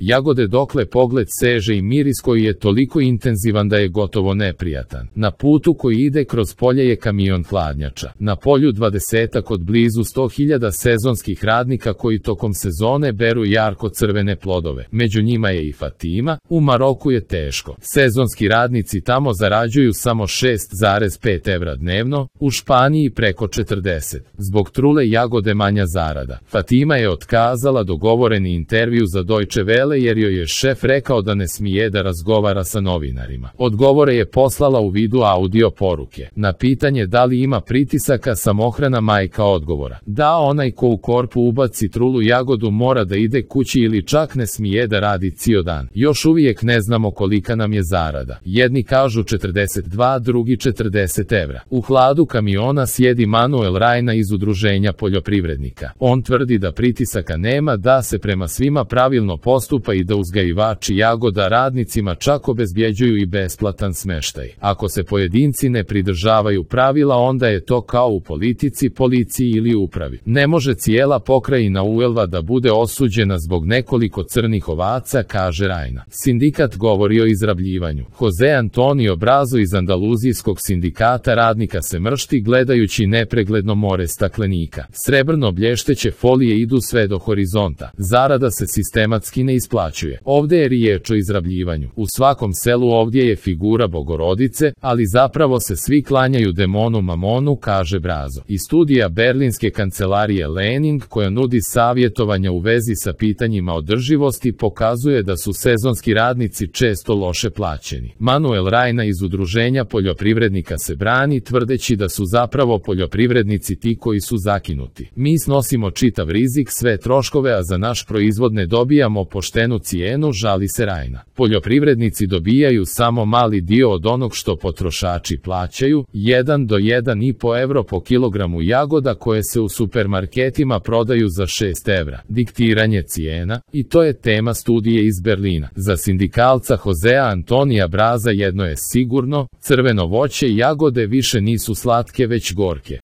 Jagode dokle pogled seže i miris koji je toliko intenzivan da je gotovo neprijatan. Na putu koji ide kroz polje je kamion hladnjača. Na polju 20 od blizu 100.000 sezonskih radnika koji tokom sezone beru jarko crvene plodove. Među njima je i Fatima. U Maroku je teško. Sezonski radnici tamo zarađuju samo 6,5 evra dnevno, u Španiji preko 40. Zbog trule jagode manja zarada. Fatima je otkazala dogovoreni intervju za Deutsche Welle jer joj je šef rekao da ne smije da razgovara sa novinarima. Odgovore je poslala u vidu audio poruke. Na pitanje da li ima pritisaka, samohrana majka odgovora: da, onaj ko u korpu ubaci trulu jagodu mora da ide kući ili čak ne smije da radi cijel dan. Još uvijek ne znamo kolika nam je zarada. Jedni kažu 42, drugi 40 evra. U hladu kamiona sjedi Manuel Rajna iz Udruženja poljoprivrednika. On tvrdi da pritisaka nema, da se prema svima pravilno postupa i da uzgajivači jagoda radnicima čak obezbjeđuju i besplatan smeštaj. Ako se pojedinci ne pridržavaju pravila, onda je to kao u politici, policiji ili upravi. Ne može cijela pokrajina Huelva da bude osuđena zbog nekoliko crnih ovaca, kaže Rajna. Sindikat govori o izrabljivanju. Jose Antonio Brazo iz Andaluzijskog sindikata radnika se mršti gledajući nepregledno more staklenika. Srebrno blješteće folije idu sve do horizonta. Zarada se sistematski ne isplaćuje. Ovdje je riječ o izrabljivanju. U svakom selu ovdje je figura Bogorodice, ali zapravo se svi klanjaju demonu Mamonu, kaže Brazo. I studija berlinske kancelarije Lening, koja nudi savjetovanja u vezi sa pitanjima održivosti, pokazuje da su sezonski radnici često loše plaćeni. Manuel Rajna iz Udruženja poljoprivrednika se brani tvrdeći da su zapravo poljoprivrednici ti koji su zakinuti. Mi snosimo čitav rizik, sve troškove, a za naš proizvod ne dobijamo poštenu cijenu, žali se Rajna. Poljoprivrednici dobijaju samo mali dio od onog što potrošači plaćaju, 1 do 1,5 evro po kilogramu jagoda koje se u supermarketima prodaju za 6 evra. Diktiranje cijena, i to je tema studije iz Berlina. Za sindikalca Josea Antonija Braza jedno je sigurno: crveno voće i jagode više nisu slatke već gorke.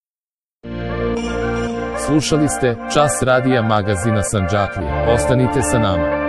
Slušali ste Čas radija magazina Sandžaklija. Ostanite sa nama.